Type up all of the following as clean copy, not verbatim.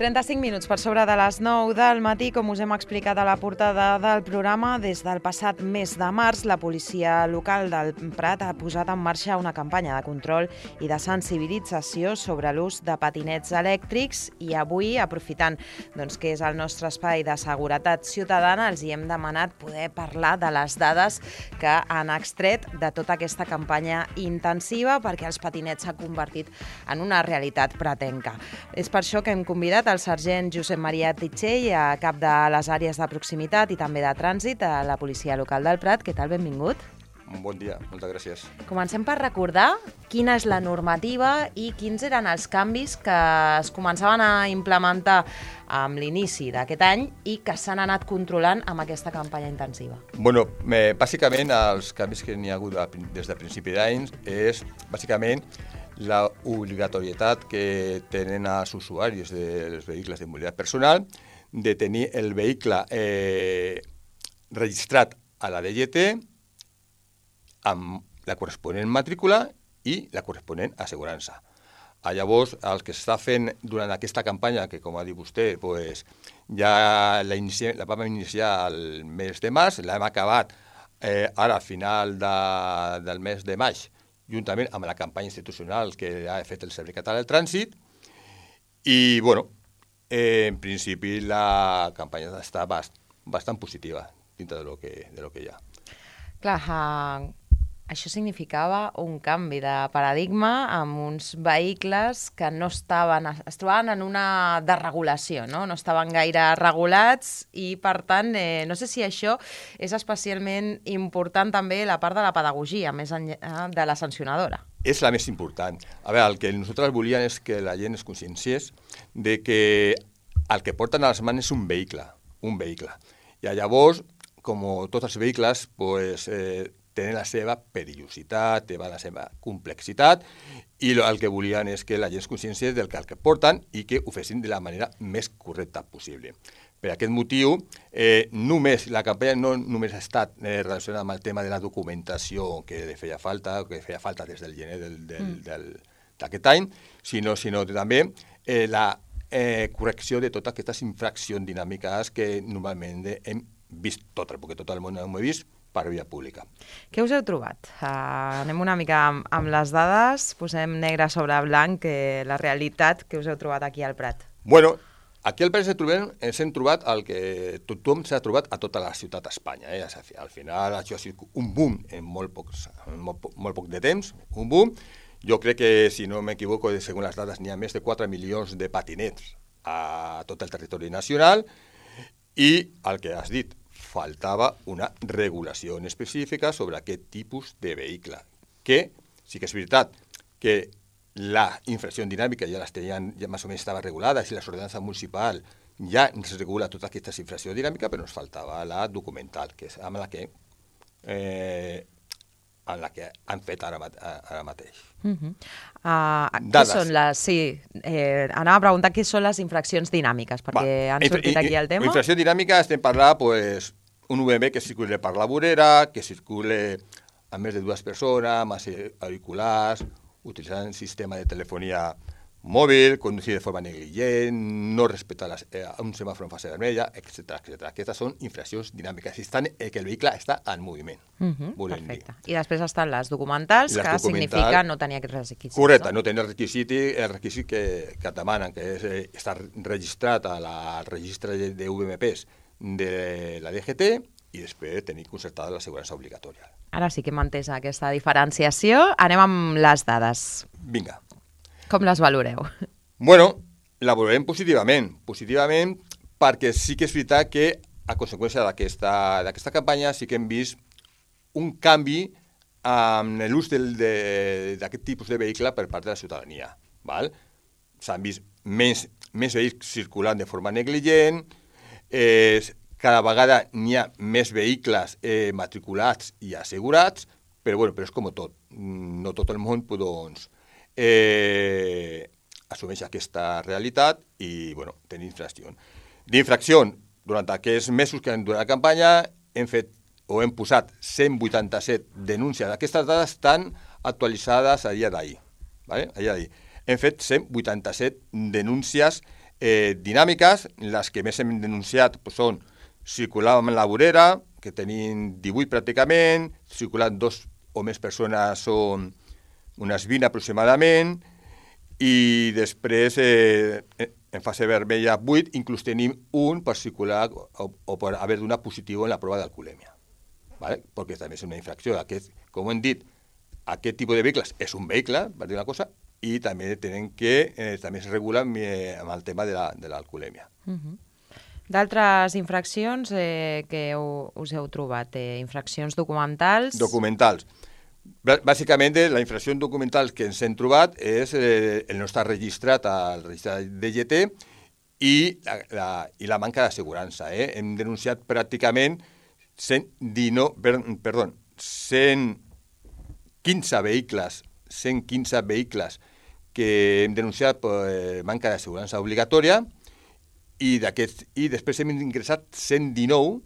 35 minuts per sobre de les 9 del matí, com us hem explicat a la portada del programa, des del passat mes de març, la policia local del Prat ha posat en marxa una campanya de control i de sensibilització sobre l'ús de patinets elèctrics i avui, aprofitant que és el nostre espai de seguretat ciutadana, els hi hem demanat poder parlar de les dades que han extret de tota aquesta campanya intensiva perquè els patinets s'ha convertit en una realitat pratenca. És per això que hem convidat el sergent Josep Maria Titxell, cap de les àrees de proximitat i també de trànsit a la policia local del Prat. Què tal? Benvingut. Bon dia, moltes gràcies. Comencem per recordar quina és la normativa i quins eren els canvis que es començaven a implementar amb l'inici d'aquest any i que s'han anat controlant amb aquesta campanya intensiva. Bueno, bàsicament els canvis que n'hi ha hagut des de principi d'any és bàsicament la obligatorietat que tenen els usuaris dels vehicles de mobilitat personal de tenir el vehicle registrat a la DGT amb la corresponent matrícula i la corresponent assegurança. Llavors, el que s'està fent durant aquesta campanya, que com ha dit vostè, ja la vam iniciar el mes de març, l'hem acabat ara a final del mes de maig, juntament amb la campanya institucional que ha fet el Servei Català del Trànsit. I, en principi la campanya està bastant positiva dintre de lo que hi ha. Clar, això significava un canvi de paradigma amb uns vehicles que es trobaven en una desregulació, no estaven gaire regulats i, per tant, no sé si això és especialment important també la part de la pedagogia, més enllà de la sancionadora. És la més important. A veure, el que nosaltres volíem és que la gent es conscienciés de que el que porten a les mans és un vehicle. I llavors, com tots els vehicles, tenen la seva perillositat, tenen la seva complexitat i el que volien és que la gent es conscienciés del que porten i que ho fessin de la manera més correcta possible. Per aquest motiu, la campanya no només ha estat relacionada amb el tema de la documentació que feia falta des del gener d'aquest any, sinó també la correcció de totes aquestes infraccions dinàmiques que normalment hem vist perquè tot el món ho he vist, per via pública. Què us heu trobat? Anem una mica amb les dades, posem negre sobre blanc la realitat que us heu trobat aquí al Prat. Bueno, aquí al Prat ens hem trobat el que tothom s'ha trobat a tota la ciutat d'Espanya. Al final això ha sigut un boom en molt poc de temps, un boom. Jo crec que, si no m'equivoco, segons les dades, n'hi ha més de 4 milions de patinets a tot el territori nacional i el que has dit, faltava una regulació específica sobre aquest tipus de vehicle, que sí que és veritat que la infracció dinàmica ja més o menys estava regulada, i la ordenança municipal ja ens regula tota aquesta infracció dinàmica, però ens faltava la documental, que és amb la que han fet ara mateix. Anava a preguntar què són les infraccions dinàmiques, perquè han sortit aquí el tema. Infracció dinàmica estem parlant un UMB que circule per la vorera, que circule a més de 2 persones, amb auriculars, utilitzant un sistema de telefonia mòbil, conduir de forma negligent, no respectar un semàfor en fase vermella, etc. Aquestes són infraccions dinàmiques, que el vehicle està en moviment. Perfecte. I després estan les documentals, que significa no tenir aquests requisits. Correcte, no tenir el requisit que et demanen, que és estar registrat al registre de VMPs de la DGT i després tenir concertada l'assegurança obligatòria. Ara sí que hem entès aquesta diferenciació. Anem amb les dades. Vinga. Com les valoreu? Bueno, la valorem positivament perquè sí que és veritat que a conseqüència d'aquesta campanya sí que hem vist un canvi en l'ús d'aquest tipus de vehicle per part de la ciutadania. S'han vist més vehicles circulant de forma negligent, cada vegada n'hi ha més vehicles matriculats i assegurats, però és com tot. No tot el món assumeix aquesta realitat i tenim infracció. D'infracció, durant aquests mesos que han durat la campanya, hem posat 187 denúncies. Aquestes dades estan actualitzades a dia d'ahir. Hem fet 187 denúncies dinàmiques. Les que més hem denunciat són circular amb la vorera, que tenim 18 pràcticament, circulant 2 o més persones són unes 20 aproximadament, i després en fase vermella 8, inclús tenim un per circular o per haver donat positiu en la prova d'alcoholèmia. ¿Vale? Perquè també és una infracció. Com hem dit, aquest tipus de vehicles és un vehicle, per dir una cosa, i també tenen que també es regula amb el tema de l'alcoholèmia. D'altres infraccions que us heu trobat? Infraccions documentals? Documentals. Bàsicament, la infracció documental que ens hem trobat és el no estar registrat al registre DGT i la manca d'assegurança. Hem denunciat pràcticament 115 vehicles que hem denunciat per manca d'assegurança obligatòria i després hem ingressat 119,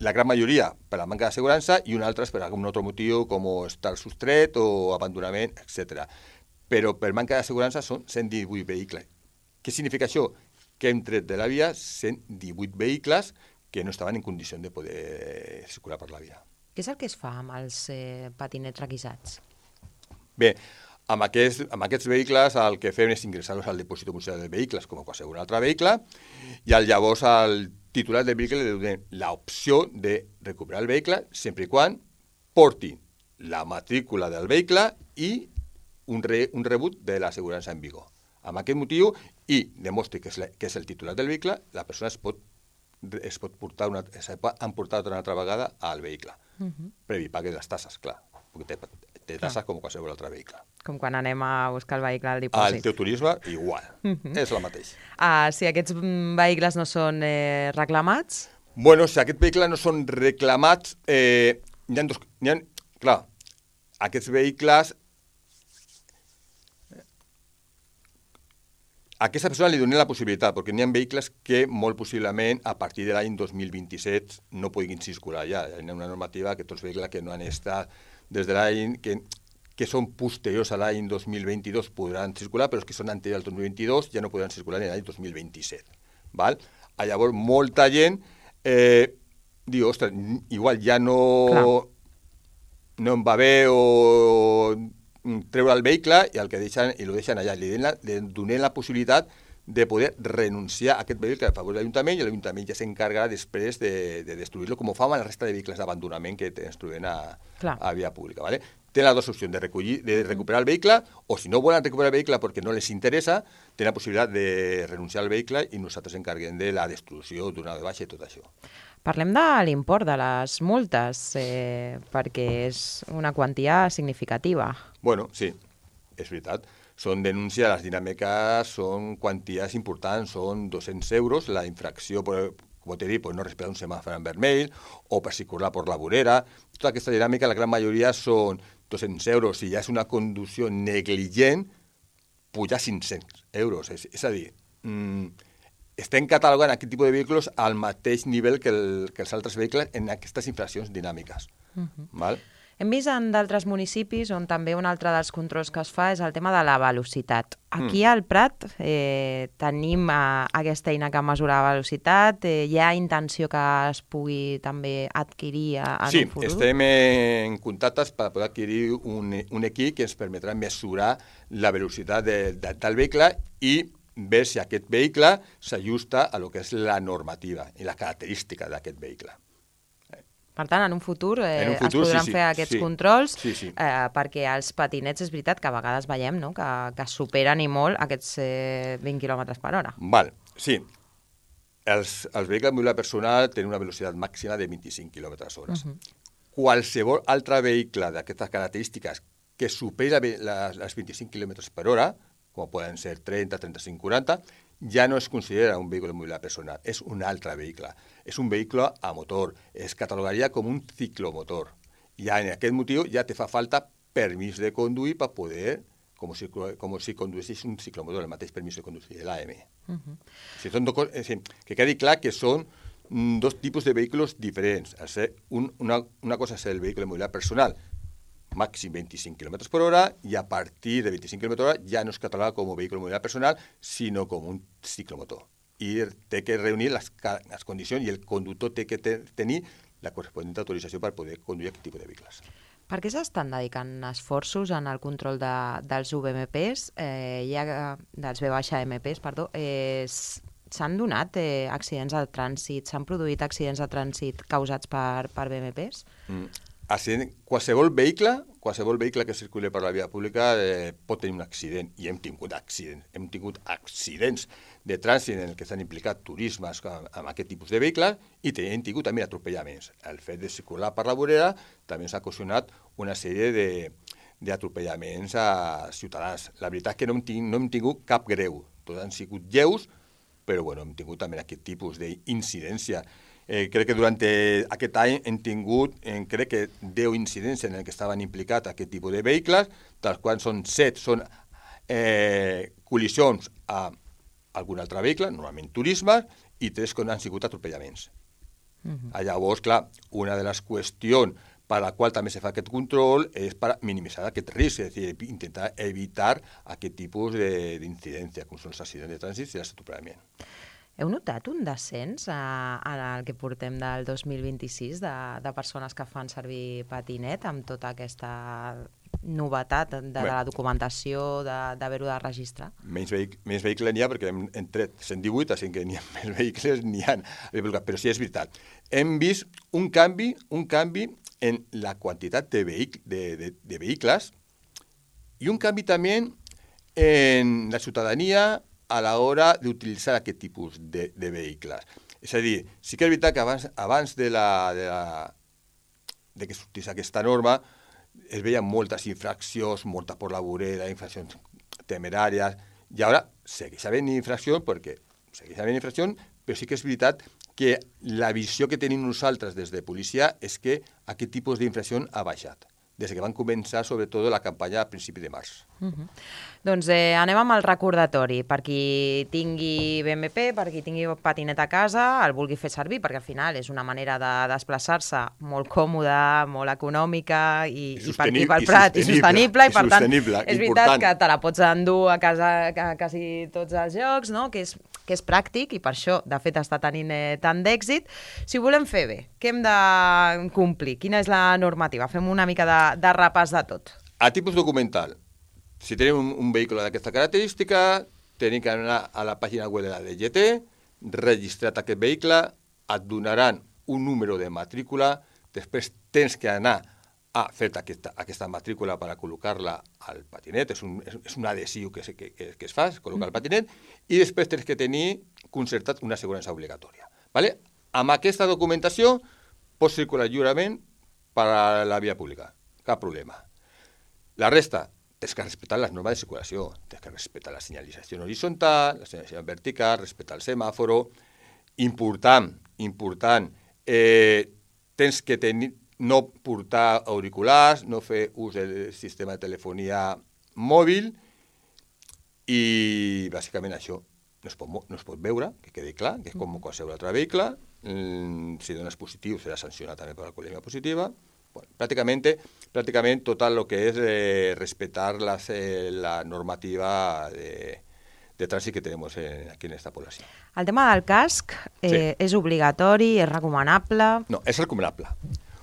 la gran majoria per la manca d'assegurança i un altre per algun altre motiu com estar sostret o abandonament, etc. Però per manca d'assegurança són 118 vehicles. Què significa això? Que hem tret de la via 118 vehicles que no estaven en condició de poder circular per la via. Què és el que es fa amb els patinets requisats? Bé, amb aquests vehicles el que fem és ingressar-los al dipòsit municipal de vehicles com a qualsevol altre vehicle i llavors al titular del vehicle li donem l'opció de recuperar el vehicle sempre i quan porti la matrícula del vehicle i un rebut de l'assegurança en vigor. Amb aquest motiu i demostri que és el titular del vehicle, la persona es pot emportar una altra vegada al vehicle. Previ pague les tasses, clar, perquè té tasses com qualsevol altre vehicle. Com quan anem a buscar el vehicle al dipòsit. Al teu turisme, igual, és la mateixa. Si aquests vehicles no són reclamats? Bueno, si aquests vehicles no són reclamats, clar, aquests vehicles, a aquesta persona li donem la possibilitat, perquè n'hi ha vehicles que molt possiblement a partir de l'any 2027 no puguin circular ja. Hi ha una normativa que tots els vehicles que no han estat des de l'any, que són posteriors a l'any 2022 podran circular, però els que són anteriors al 2022 ja no podran circular en l'any 2027. Val? Llavors, molta gent diu, ostres, igual ja no em va bé o treure el vehicle i el que deixen allà. Li donem la possibilitat de poder renunciar a aquest vehicle a favor de l'Ajuntament i l'Ajuntament ja s'encarga després de destruir-lo, com ho fa amb la resta de vehicles d'abandonament que ens trobem a via pública. ¿Vale? Tenen les dues opcions, de recuperar el vehicle, o si no volen recuperar el vehicle perquè no les interessa, tenen la possibilitat de renunciar al vehicle i nosaltres encarguem de la destrucció, donar de baixa i tot això. Parlem de l'import de les multes, perquè és una quantia significativa. Bueno, sí, és veritat. Són denúncies, les dinàmiques són quanties importants, són 200 euros, la infracció, com t'he dit, no respectar un semàfor en vermell o per circular per la vorera. Tota aquesta dinàmica, la gran majoria són 200 euros. Si ja és una conducció negligent, puja 500 euros. És a dir, estem catalogant aquest tipus de vehicles al mateix nivell que els altres vehicles en aquestes infraccions dinàmiques. Val? Hem vist en d'altres municipis on també un altre dels controls que es fa és el tema de la velocitat. Aquí al Prat tenim aquesta eina que mesura la velocitat. Hi ha intenció que es pugui també adquirir en un futur? Sí, estem en contactes per poder adquirir un equip que ens permetrà mesurar la velocitat del vehicle i ver si aquest vehicle s'ajusta a lo que és la normativa i la característica d'aquest vehicle. Per tant, en un futur es podran fer aquests controls, perquè els patinets és veritat que a vegades veiem que superen i molt aquests 20 km per hora. Sí, els vehicles de mobilitat personal tenen una velocitat màxima de 25 km hora. Qualsevol altre vehicle d'aquestes característiques que supera les 25 km per hora, com poden ser 30, 35, 40, ja no es considera un vehicle de mobilitat personal, és un altre vehicle. És un vehicle a motor, es catalogaria com un ciclomotor. I en aquest motiu ja te fa falta permís de conduir per poder, com si conduïssis un ciclomotor, el mateix permís de conduir, l'AM. Que quedi clar que són dos tipus de vehicles diferents. Una cosa és el vehicle de mobilitat personal, màxim 25 km per hora, i a partir de 25 km per hora ja no es cataloga com a vehicle de mobilitat personal, sinó com un ciclomotor. I té que reunir les condicions i el conductor té que tenir la corresponent autorització per poder conduir aquest tipus de vehicles. Per què s'estan dedicant esforços en el control dels VMPs, dels VMPs, perdó, s'han donat accidents de trànsit, s'han produït accidents de trànsit causats per VMPs? Qualsevol vehicle que circuli per la via pública pot tenir un accident, i hem tingut accidents de trànsit en què s'han implicat turismes amb aquest tipus de vehicles, i hem tingut també atropellaments. El fet de circular per la vorera també ens ha ocasionat una sèrie d'atropellaments a ciutadans. La veritat és que no hem tingut cap greu, tots han sigut lleus, però hem tingut també aquest tipus d'incidència. Crec que durant aquest any hem tingut, crec que 10 incidents en què estaven implicats aquest tipus de vehicles, dels quals 7 són col·lisions a algun altre vehicle, normalment turismes, i 3 que han sigut atropellaments. Llavors, clar, una de les qüestions per la qual també se fa aquest control és per minimitzar aquest risc, és a dir, intentar evitar aquest tipus d'incidència, com són els accidents de trànsit i els atropellaments. Heu notat un descens en el que portem del 2026 de persones que fan servir patinet amb tota aquesta novetat de la documentació, d'haver-ho de registrar? Menys vehicles n'hi ha perquè hem tret 118, així que n'hi ha més vehicles, n'hi ha. Però sí, és veritat. Hem vist un canvi en la quantitat de vehicles i un canvi també en la ciutadania a l'hora d'utilitzar aquest tipus de vehicles. És a dir, sí que és veritat que abans de que sortís aquesta norma es veien moltes infraccions, molta per la vorera, infraccions temeràries, i ara segueix havent infraccions, però sí que és veritat que la visió que tenim nosaltres des de policia és que aquest tipus d'infracció ha baixat, des que van començar, sobretot, la campanya a principi de març. Doncs anem amb el recordatori. Per qui tingui BMP, per qui tingui patinet a casa, el vulgui fer servir, perquè al final és una manera de desplaçar-se molt còmoda, molt econòmica i per aquí pel Prat, i sostenible, i per tant és veritat que te la pots endur a casa a quasi tots els llocs, no? Que és pràctic, i per això, de fet, està tenint tant d'èxit. Si ho volem fer bé, què hem de complir? Quina és la normativa? Fem una mica de repàs de tot. A tipus documental, si tenim un vehicle d'aquesta característica, tenim que anar a la pàgina web de la DGT, registrat aquest vehicle, et donaran un número de matrícula, després tens que anar a fer aquesta matrícula per a col·locar-la al patinet, és un adhesiu que es fa, es col·loca al patinet, i després tens que tenir concertat una assegurança obligatòria. Amb aquesta documentació pots circular lliurement per a la via pública, cap problema. La resta, tens que respectar les normes de circulació, tens que respectar la senyalització horitzontal, la senyalització vertical, respectar el semàforo. Important, tens que no portar auriculars, no fer ús del sistema de telefonia mòbil, i bàsicament això no es pot veure, que quedi clar, que és com qualsevol altre vehicle. Si dones positiu serà sancionat també per alcoholèmia positiva. Pràcticament tot el que és respectar la normativa de trànsit que tenim aquí en aquesta població. El tema del casc és obligatori, és recomanable? No, és recomanable.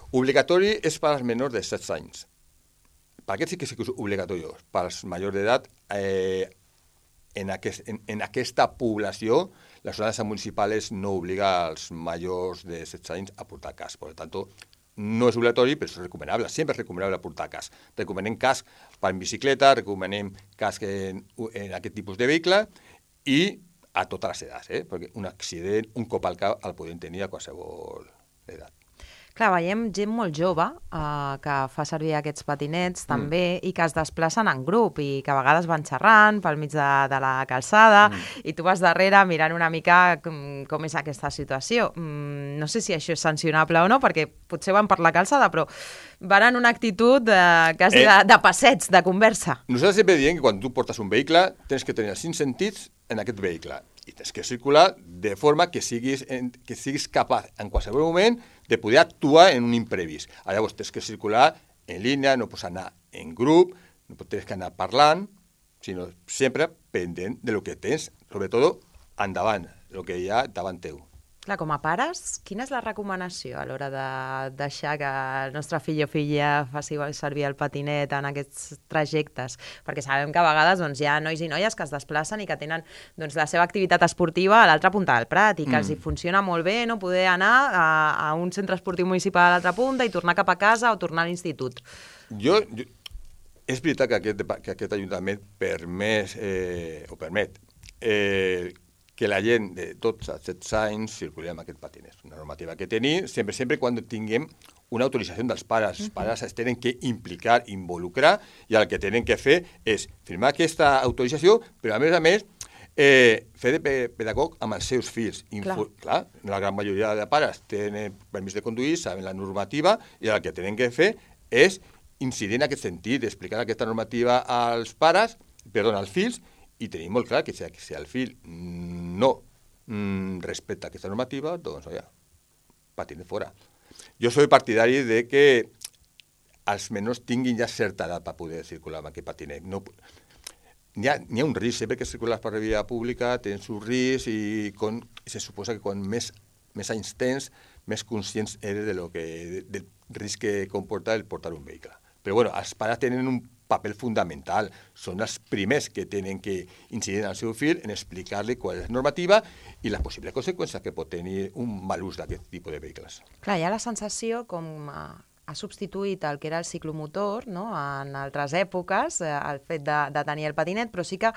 Obligatori és per als menors de 16 anys. Per aquest sí que és obligatori. Per als majors d'edat, en aquesta població, les ordenances municipals no obliga als majors de 16 anys a portar casc. Per tant, no és obligatori, però és recomanable. Sempre és recomanable portar casc. Recomanem casc per en bicicleta, recomanem casc en aquest tipus de vehicle i a totes les edats, perquè un accident, un cop al cap, el podem tenir a qualsevol edat. Clar, veiem gent molt jove que fa servir aquests patinets també i que es desplacen en grup i que a vegades van xerrant pel mig de la calçada i tu vas darrere mirant una mica com és aquesta situació. No sé si això és sancionable o no, perquè potser van per la calçada, però van en una actitud quasi de passets, de conversa. Nosaltres sempre diem que quan tu portes un vehicle tens que tenir els 5 sentits en aquest vehicle i tens que circular de forma que siguis capaç en qualsevol moment de poder actuar en un imprevist. Llavors tens que circular en línia, no pots anar en grup, no pots anar parlant, sinó sempre pendent de lo que tens, sobretot endavant, el que hi ha davant teu. Clar, com a pares, quina és la recomanació a l'hora de deixar que el nostre fill o filla faci servir el patinet en aquests trajectes? Perquè sabem que a vegades hi ha nois i noies que es desplacen i que tenen la seva activitat esportiva a l'altra punta del Prat i que els hi funciona molt bé poder anar a un centre esportiu municipal a l'altra punta i tornar cap a casa o tornar a l'institut. És veritat que aquest Ajuntament permet que la gent de 12 a 16 anys circuli amb aquest patinet. Una normativa que tenim, sempre quan tinguem una autorització dels pares. Els pares es tenen que implicar, involucrar, i el que tenen que fer és firmar aquesta autorització, però a més, fer de pedagog amb els seus fills. Clar, la gran majoria de pares tenen permís de conduir, saben la normativa, i el que tenen que fer és incidir en aquest sentit, explicar aquesta normativa als fills, i tenim molt clar que si el fill no respecta aquesta normativa, doncs, patinet fora. Jo soy partidari de que els menors tinguin ja certa edat per poder circular amb aquest patinet. N'hi ha un risc, sempre que circules per la via pública tens un risc i se suposa que quan més anys tens, més conscients eres del risc que comporta el portar un vehicle. Però els pares tenen un paper fundamental. Són els primers que tenen que incidir en el seu fill en explicar-li qual és la normativa i les possibles conseqüències que pot tenir un mal ús d'aquest tipus de vehicles. Clar, hi ha la sensació com ha substituït el que era el ciclomotor, no?, en altres èpoques, el fet de tenir el patinet, però sí que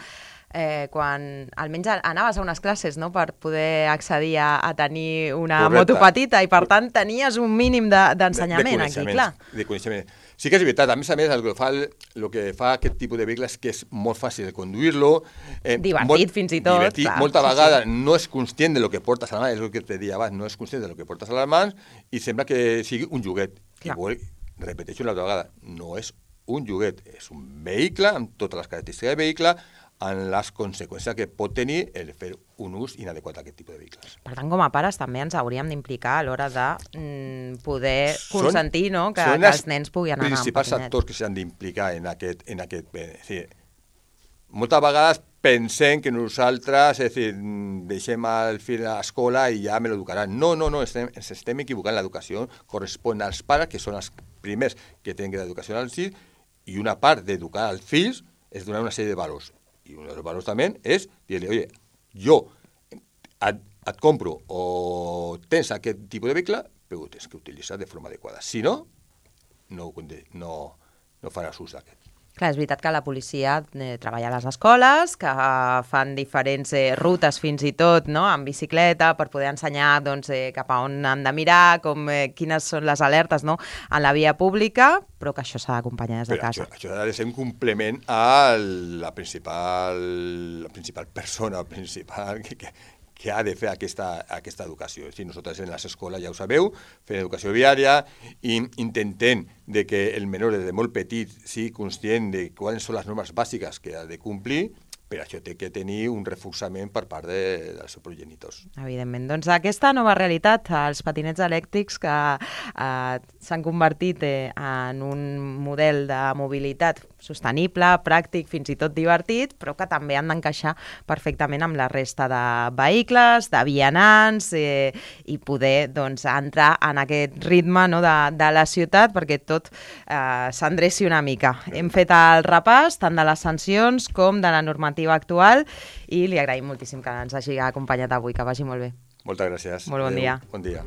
quan almenys anaves a unes classes, no?, per poder accedir a tenir una moto petita i per tant tenies un mínim d'ensenyament aquí, clar. De coneixement. Sí que és veritat, a més, el que fa aquest tipus de vehicles que és molt fàcil de conduir-lo. Divertit, fins i tot. Divertit, molta vegada no és conscient de lo que portes a la mà, és el que te deia abans, no és conscient de lo que portes a les mans i sembla que sigui un joguet. Igual, repeteixo una altra vegada, no és un joguet, és un vehicle amb totes les característiques del vehicle, en les conseqüències que pot tenir el fer un ús inadequat d'aquest tipus de vehicles. Per tant, com a pares també ens hauríem d'implicar a l'hora de poder consentir que els nens puguin anar amb patinet. Són els principals actors que s'han d'implicar en aquest. Moltes vegades pensem que nosaltres deixem el fill a l'escola i ja me l'educaran. No, ens estem equivocant. L'educació correspon als pares, que són els primers que tenen l'educació als fills, i una part d'educar als fills és donar una sèrie de valors. I un dels valors també és dir-li, oye, jo et compro o tens aquest tipus de vehicle, però ho tens que utilitzar de forma adequada. Si no, no faràs ús d'aquest. Clar, és veritat que la policia treballa a les escoles, que fan diferents rutes fins i tot, no?, en bicicleta per poder ensenyar cap a on han de mirar, quines són les alertes, no?, en la via pública, però que això s'ha d'acompanyar des de casa. Això ha de ser un complement a la principal persona, que ha de fer aquesta educació. Nosaltres en les escoles, ja ho sabeu, fem educació viària i intentem que el menor des de molt petit sigui conscient de quines són les normes bàsiques que ha de complir, però això té que tenir un reforçament per part dels seus progenitors. Evidentment. Doncs aquesta nova realitat, els patinets elèctrics que s'han convertit en un model de mobilitat sostenible, pràctic, fins i tot divertit, però que també han d'encaixar perfectament amb la resta de vehicles, de vianants, i poder entrar en aquest ritme de la ciutat perquè tot s'endreci una mica. Hem fet el repàs tant de les sancions com de la normativa actual i li agraïm moltíssim que ens hagi acompanyat avui, que vagi molt bé. Moltes gràcies. Molt bon dia. Bon dia.